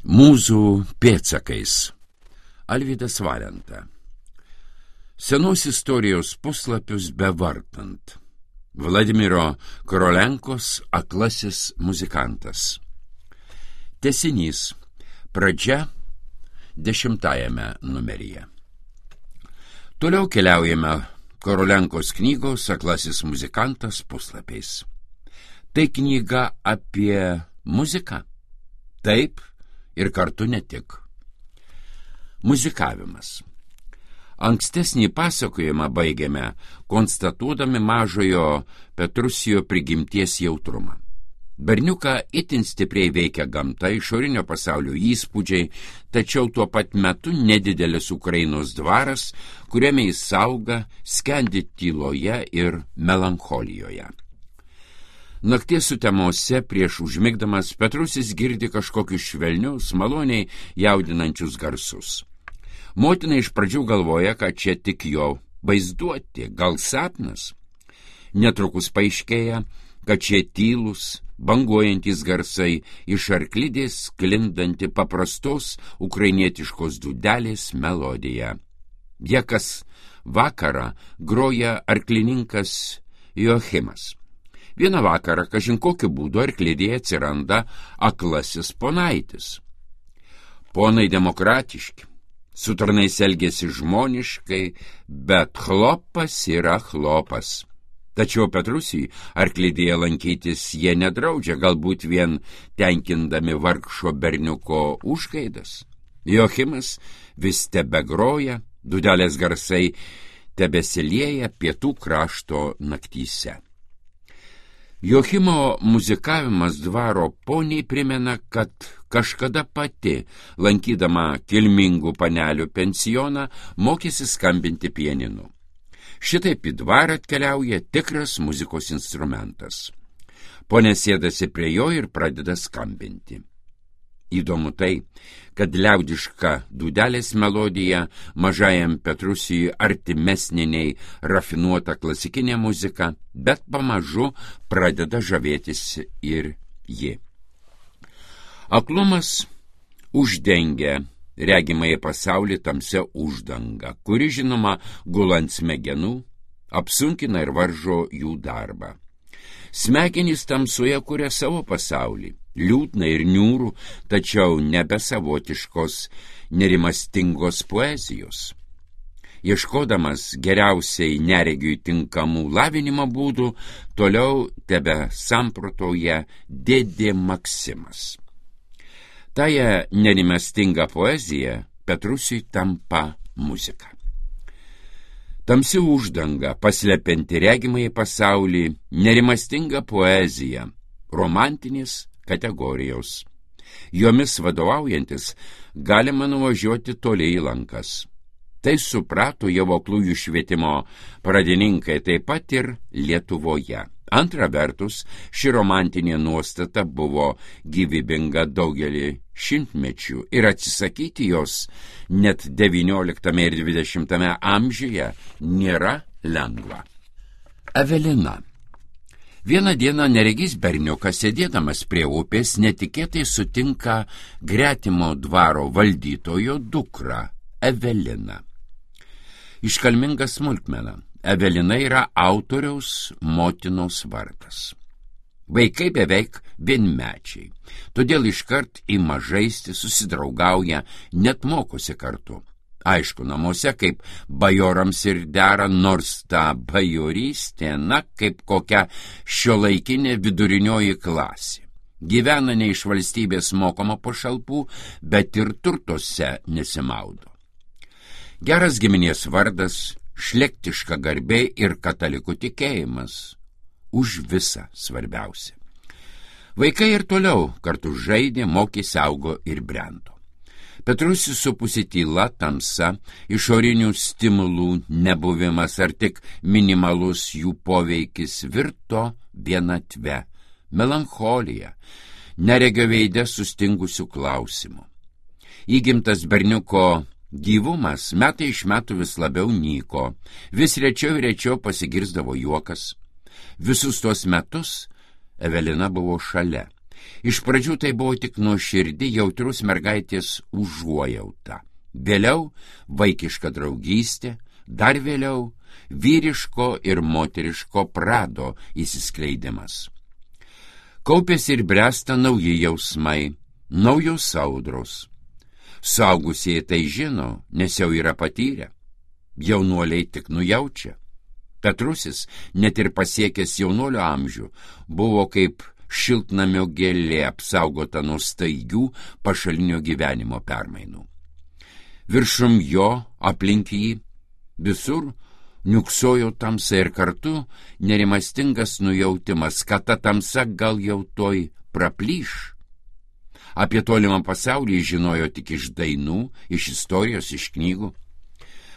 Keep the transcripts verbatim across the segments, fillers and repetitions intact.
Mūzų pėdsakais. Alvydas Valenta. Senos istorijos puslapius bevartant. Vladimiro Korolenkos Aklasis muzikantas. Tęsinys. Pradžia dešimtajame numeryje. Toliau keliaujame Korolenkos knygos Aklasis muzikantas puslapiais. Tai knyga apie muziką. Taip ir kartu ne tik. Muzikavimas. Ankstesnį pasakojimą baigėme, konstatuodami mažojo Petrusijo prigimties jautrumą. Berniuką itin stipriai veikia gamta, išorinio pasaulio įspūdžiai, tačiau tuo pat metu nedidelis Ukrainos dvaras, kuriame jis auga, skendi tyloje ir melancholijoje. Nakties sutemose prieš užmigdamas Petrusis girdi kažkokius švelnius, maloniai jaudinančius garsus. Motina iš pradžių galvoja, kad čia tik jo vaizduoti, gal sapnas. Netrukus paaiškėja, kad čia tylus, banguojantis garsai iš arklidės sklindanti paprastos ukrainietiškos dūdelės melodija. Jie kas vakarą groja arklininkas Joachimas. Vieną vakarą, kažin kokiu būdu arklidėje atsiranda aklasis ponaitis. Ponai demokratiški, su tarnais elgėsi žmoniškai, bet chlopas yra chlopas. Tačiau Petrusijui arklidėje lankytis jie nedraudžia, galbūt vien tenkindami vargšo berniuko užgaidas. Joachimas vis tebegroja, dūdelės garsai tebesilieja pietų krašto naktyse. Joachimo muzikavimas dvaro poniai primena, kad kažkada pati, lankydama kilmingų panelių pensioną, mokėsi skambinti pianinu. Šitaip į dvarą atkeliauja tikras muzikos instrumentas. Ponia sėdasi prie jo ir pradeda skambinti. Įdomu tai, kad liaudiška dūdelės melodija mažajam Petrusijui artimesnė nei rafinuota klasikinė muzika, bet pamažu pradeda žavėtis ir ji. Aklumas uždengia regimąjį pasaulį tamsia uždanga, kuri žinoma gulant smegenų, apsunkina ir varžo jų darbą. Smegenys tamsoje kuria savo pasaulį, liūdna ir niūrų, tačiau nebesavotiškos, nerimastingos poezijos. Ieškodamas geriausiai neregiui tinkamų lavinimo būdų, toliau tebe samprotauja dėdė Maksimas. Taja nerimastinga poezija Petrusiui tampa muzika. Tamsi uždanga, paslepianti regimąjį pasaulį, nerimastinga poezija, romantinės kategorijos. Jomis vadovaujantis galima nuvažiuoti toli į lankas. Tai suprato jau aklųjų švietimo pradininkai taip pat ir Lietuvoje. Antra vertus, ši romantinė nuostata buvo gyvybinga daugelį šimtmečių ir atsisakyti jos net devynioliktame ir dvidešimtame amžiuje nėra lengva. Evelina. Vieną dieną neregys berniukas, sėdėdamas prie upės, netikėtai sutinka gretimo dvaro valdytojo dukrą, Eveliną. Iškalminga smulkmena. Evelina yra autoriaus motinos vardas. Vaikai beveik vienmečiai, todėl iškart ima žaisti, susidraugauja, net mokosi kartu. Aišku, namuose kaip bajorams ir dera, nors ta bajorystė, na, kaip kokia šiuolaikinė vidurinioji klasė. Gyvena ne iš valstybės mokama pašalpų, bet ir turtuose nesimaudo. Geras giminės vardas, šlektiška garbė ir katalikų tikėjimas už visą svarbiausia. Vaikai ir toliau kartu žaidė, mokėsi, augo ir brendo. Petrusis supusi tyla, tamsa, išorinių stimulų nebuvimas ar tik minimalus jų poveikis virto vienatve, melancholija, neregio veide sustingusių klausimų. Įgimtas berniuko gyvumas metai iš metų vis labiau nyko, vis rečiau ir rečiau pasigirsdavo juokas. Visus tuos metus Evelina buvo šalia. Iš pradžių tai buvo tik nuoširdi jautrus mergaitės užuojauta. Vėliau vaikiška draugystė, dar vėliau vyriško ir moteriško prado įsiskleidimas. Kaupėsi ir bręsta nauji jausmai, naujos audros. Suaugusieji tai žino, nes jau yra patyrę. Jaunuoliai tik nujaučia. Petrusis, net ir pasiekęs jaunuolio amžių, buvo kaip šiltnamio gėlė apsaugota nuo staigių pašalinio gyvenimo permainų. Viršum jo, aplink jį, visur niuksojo tamsa ir kartu nerimastingas nujautimas, kad ta tamsa gal jau toj praplyš. Apie tolimą pasaulį žinojo tik iš dainų, iš istorijos, iš knygų.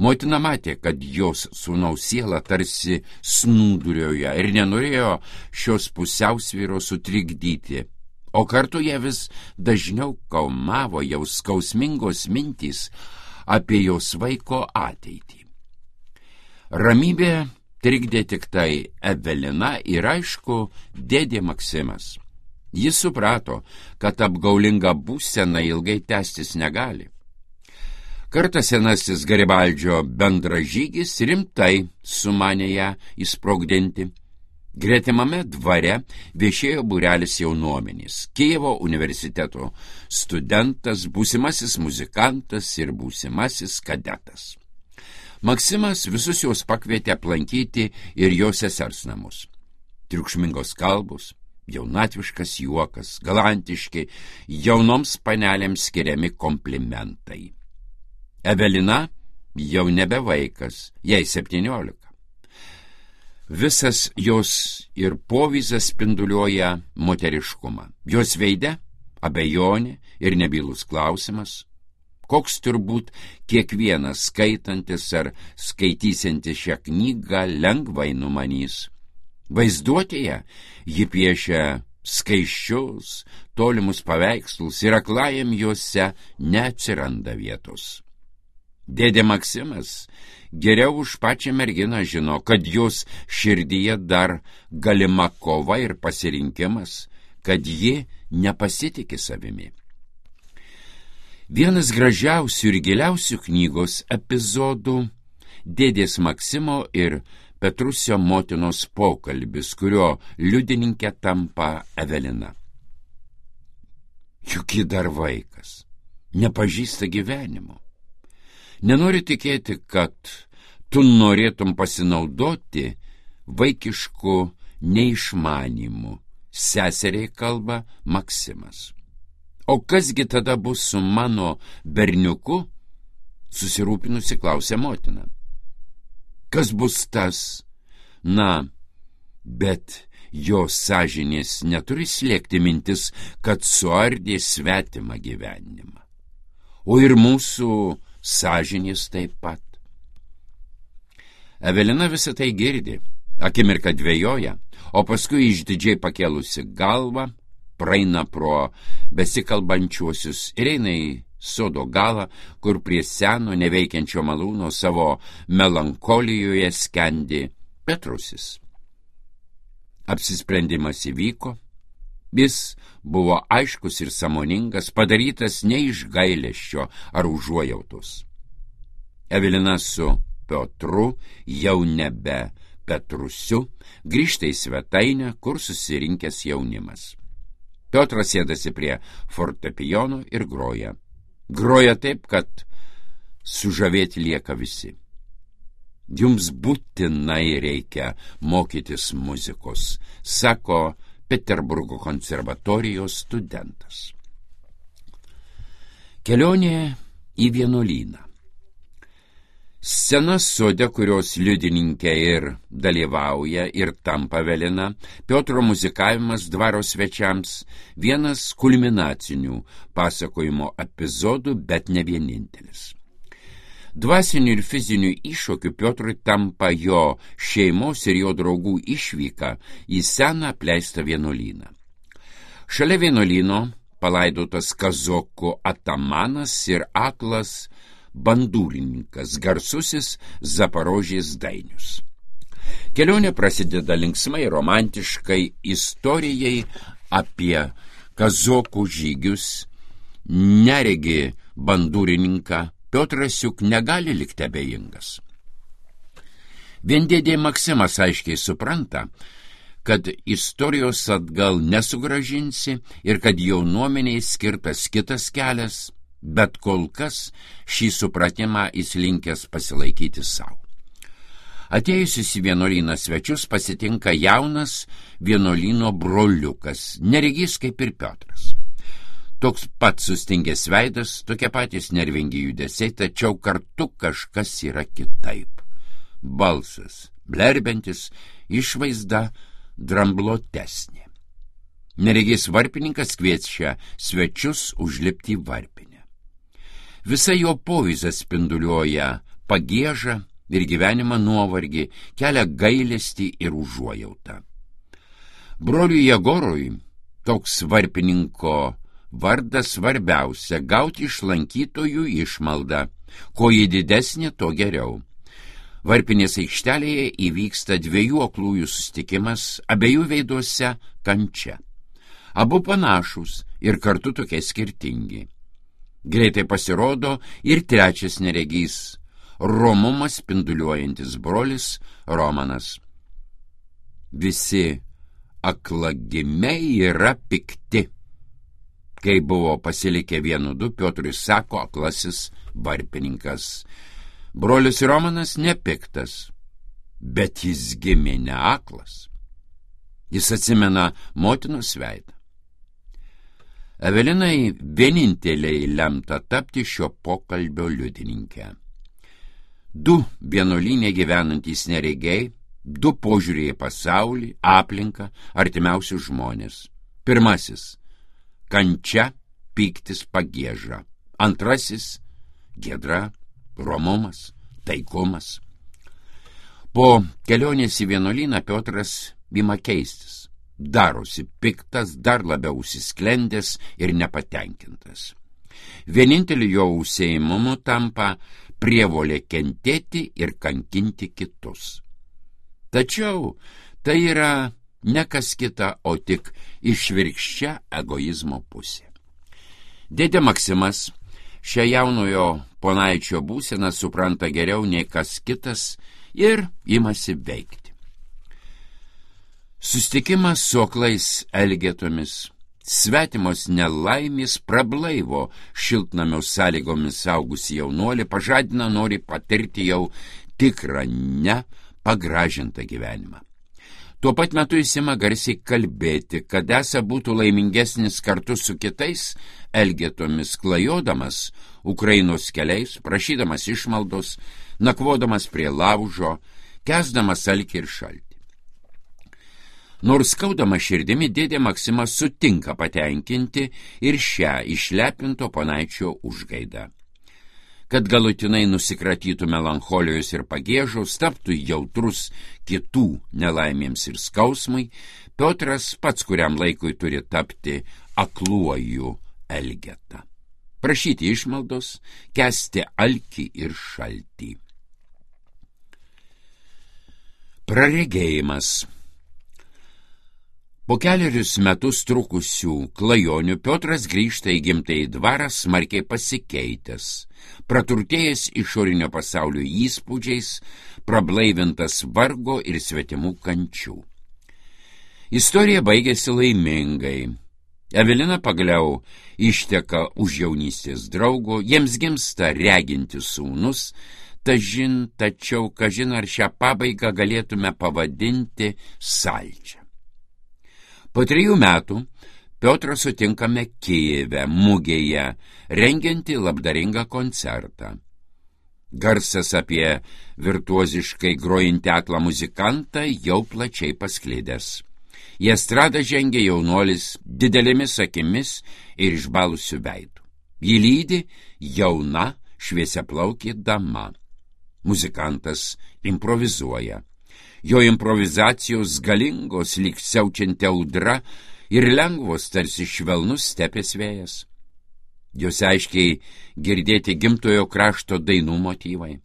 Motina matė, kad jos sūnaus siela tarsi snūdurioje ir nenorėjo šios pusiausvyros sutrikdyti, o kartu ją vis dažniau kaumavo jau skausmingos mintys apie jos vaiko ateitį. Ramybė trikdė tik tai Evelina ir aišku dėdė Maksimas. Jis suprato, kad apgaulinga būsena ilgai tęstis negali. Kartą senasis Garibaldžio bendražygis rimtai sumanė ją įsprogdinti. Gretimame dvare viešėjo būrelis jaunuomenys, Kijevo universiteto studentas, būsimasis muzikantas ir būsimasis kadetas. Maksimas visus juos pakvietė aplankyti ir jo sesers namus. Triukšmingos kalbos, jaunatviškas juokas, galantiški, jaunoms panelėms skiriami komplimentai. Evelina jau nebe vaikas, jai septyniolika. Visas jos ir povyzas spinduliuoja moteriškumą. Jos veide abejonė ir nebylus klausimas, koks turbūt kiekvienas skaitantis ar skaitysiantis šią knygą lengvai numanys. Vaizduotėje ji piešia skaisčius, tolimus paveikslus ir aklajam juose neatsiranda vietos. Dėdė Maksimas geriau už pačią merginą žino, kad jos širdyje dar galima kova ir pasirinkimas, kad ji nepasitikė savimi. Vienas gražiausių ir giliausių knygos epizodų dėdės Maksimo ir Petrusio motinos pokalbis, kurio liudininkė tampa Evelina. Juk ji dar vaikas, nepažįsta gyvenimo. Nenori tikėti, kad tu norėtum pasinaudoti vaikišku neišmanimu, seseriai kalba Maksimas. O kasgi tada bus su mano berniuku? Susirūpinusi klausė motina. Kas bus tas? Na, bet jo sąžinės neturi slėgti mintis, kad suardė svetimą gyvenimą. O ir mūsų sąžinės taip pat. Evelina visą tai girdi, akimirką dvejoja, o paskui išdidžiai pakėlusi galvą, praeina pro besikalbančiuosius ir eina į sodo galą, kur prie seno neveikiančio malūno savo melankolijoje skendi Petrusis. Apsisprendimas įvyko, jis buvo aiškus ir sąmoningas, padarytas ne iš gailesčio ar užuojautos. Evelina su Piotru, jau nebe Petrusiu, grįžta į svetainę, kur susirinkęs jaunimas. Piotras sėdasi prie fortepijono ir groja. Groja taip, kad sužavėti lieka visi. Jums būtinai reikia mokytis muzikos, sako Peterburgo konservatorijos studentas. Kelionė į vienuolyną. Scena sode, kurios liudininkė ir dalyvauja ir tampa Evelina, Piotro muzikavimas dvaro svečiams, vienas kulminacinių pasakojimo epizodų, bet ne vienintelis. Dvasinių ir fizinių iššūkių Piotrui tampa jo šeimos ir jo draugų išvyka į seną apleistą vienuolyną. Šalia vienuolyno palaidotas kazokų atamanas ir aklas bandūrininkas, garsusis Zaporožės Dainius. Kelionė prasideda linksmai, romantiškai istorijai apie kazokų žygius, neregi bandūrininką, Piotras juk negali likti abejingas. Vien dėdė Maksimas aiškiai supranta, kad istorijos atgal nesugražinsi ir kad jaunuomeniai skirtas kitas kelias, bet kol kas šį supratimą jis linkęs pasilaikyti savo. Atėjusius į vienuolyną svečius pasitinka jaunas vienuolyno broliukas, neregys kaip ir Piotras. Toks pat sustingęs veidas, tokie patys nervingi judesiai, tačiau kartu kažkas yra kitaip. Balsas, blerbentis, išvaizda dramblotesnė. Neregys varpininkas kviečia svečius užlipti į varpinę. Visa jo povyza spinduliuoja pagiežą ir gyvenimą nuovargį, kelia gailestį ir užuojautą. Broliui Jegorui toks varpininko vardas svarbiausia – gauti iš lankytojų išmaldą, ko jį didesnė, to geriau. Varpinės aikštelėje įvyksta dviejų aklųjų susitikimas, abiejų veiduose kančia. Abu panašus ir kartu tokie skirtingi. Greitai pasirodo ir trečias neregys – romumas spinduliuojantis brolis Romanas. Visi aklagimiai yra pikti. Kai buvo pasilikę vienu du, Piotrui sako aklasis varpininkas. Brolis Romanas nepiktas, bet jis gimė ne aklas. Jis atsimena motinos veidą. Evelinai vieninteliai lemta tapti šio pokalbio liudininkė. Du vienuolyne gyvenantys neregiai, du požiūriai pasaulį, aplinką, artimiausius žmonės. Pirmasis – kančia, pyktis, pagieža. Antrasis – giedra, romumas, taikumas. Po kelionės į vienuolyną Piotras ima keistis. Darosi piktas, dar labiau užsisklendęs ir nepatenkintas. Vieninteliu jo užsiėmimu tampa prievolė kentėti ir kankinti kitus. Tačiau tai yra ne kas kita, o tik išvirkščia egoizmo pusė. Dėdė Maksimas šią jaunojo ponaičio būseną supranta geriau nei kas kitas ir imasi veikti. Susitikimas su aklais elgetomis, svetimos nelaimės prablaivo šiltnamio sąlygomis augusi jaunuolį, pažadina nori patirti jau tikrą ne pagražintą gyvenimą. Tuo pat metu jis ima garsiai kalbėti, kad esą būtų laimingesnis kartu su kitais elgetomis klajodamas Ukrainos keliais, prašydamas išmaldos, nakvodamas prie laužo, kęsdamas alkį ir šaltį. Nors skaudama širdimi, dėdė Maksimas sutinka patenkinti ir šią išlepinto ponaičio užgaidą. Kad galutinai nusikratytų melancholijos ir pagiežos, taptų jautrus kitų nelaimėms ir skausmui, Piotras pats kuriam laikui turi tapti akluoju elgeta. Prašyti išmaldos, kęsti alkį ir šaltį. Praregėjimas. Po keliarius metus trukusių klajonių Piotras grįžta į gimtąjį dvarą smarkiai pasikeitęs, praturtėjęs išorinio pasaulio įspūdžiais, prablaivintas vargo ir svetimų kančių. Istorija baigėsi laimingai. Evelina pagaliau išteka už jaunystės draugo, jiems gimsta regintis sūnus, tažin, tačiau kažin ar šią pabaigą galėtume pavadinti saldžią. Po trijų metų Piotrą sutinkame Kijeve, mugėje, rengiantį labdaringą koncertą. Garsas apie virtuoziškai grojantį aklą muzikantą jau plačiai pasklidęs. Į estradą žengia jaunuolis didelėmis akimis ir išbalusiu veidu. Jį lydi jauna šviesiaplaukė dama. Muzikantas improvizuoja. Jo improvizacijos galingos lyg siaučianti audra ir lengvos tarsi švelnus stepės vėjas. Jos aiškiai girdėti gimtojo krašto dainų motyvai.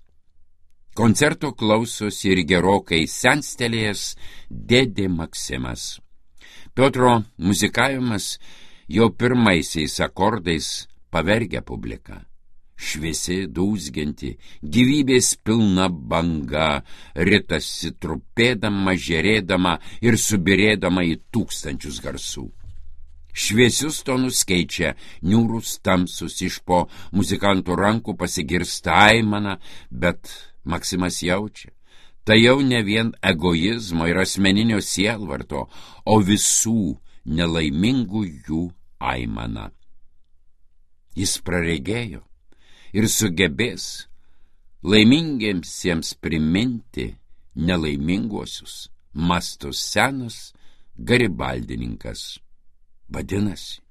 Koncerto klausosi ir gerokai senstelėjęs dėdė Maksimas. Piotro muzikavimas jau pirmaisiais akordais pavergia publiką. Šviesi, dūzgianti, gyvybės pilna banga, ritasi trupėdama, žerėdama ir subirėdama į tūkstančius garsų. Šviesius tonus keičia niūrus tamsus, iš po muzikantų rankų pasigirsta aimana, bet Maksimas jaučia, tai jau ne vien egoizmo ir asmeninio sielvarto, o visų nelaimingų jų aimana. Jis praregėjo ir sugebės laimingiemsiems priminti nelaiminguosius, mąsto senas garibaldininkas. Vadinasi,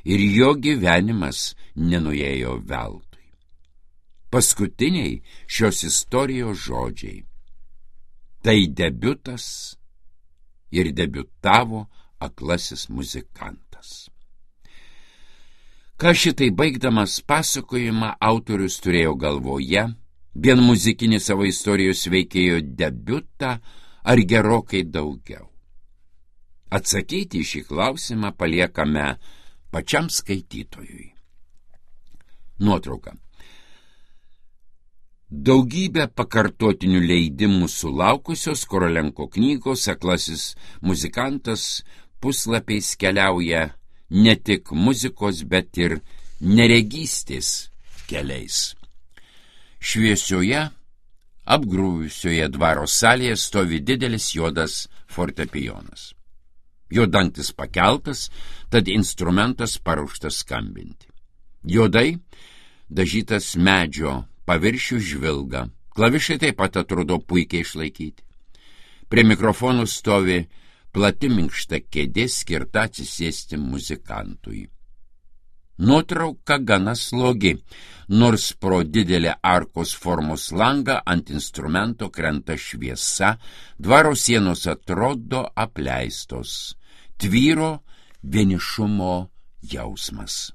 ir jo gyvenimas nenuėjo veltui. Paskutiniai šios istorijos žodžiai. Tai debiutas ir debiutavo aklasis muzikantas. Ką šitai baigdamas pasakojimą autorius turėjo galvoje, vien muzikinį savo istorijos veikėjo debiutą ar gerokai daugiau? Atsakyti į šį klausimą paliekame pačiam skaitytojui. Nuotrauka. Daugybę pakartotinių leidimų sulaukusios Korolenko knygos Aklasis muzikantas puslapiais keliauja ne tik muzikos, bet ir neregystės keliais. Šviesioje, apgrūvusioje dvaro salėje stovi didelis juodas fortepijonas. Jo dangtis pakeltas, tad instrumentas paruoštas skambinti. Juodai dažytas medžio paviršių žvilga, klavišai taip pat atrodo puikiai išlaikyti. Prie mikrofonų stovi plati minkšta kėdė skirta atsisėsti muzikantui. Nuotrauka gana slogi, nors pro didelę arkos formos langą ant instrumento krenta šviesa, dvaro sienos atrodo apleistos, tvyro vienišumo jausmas.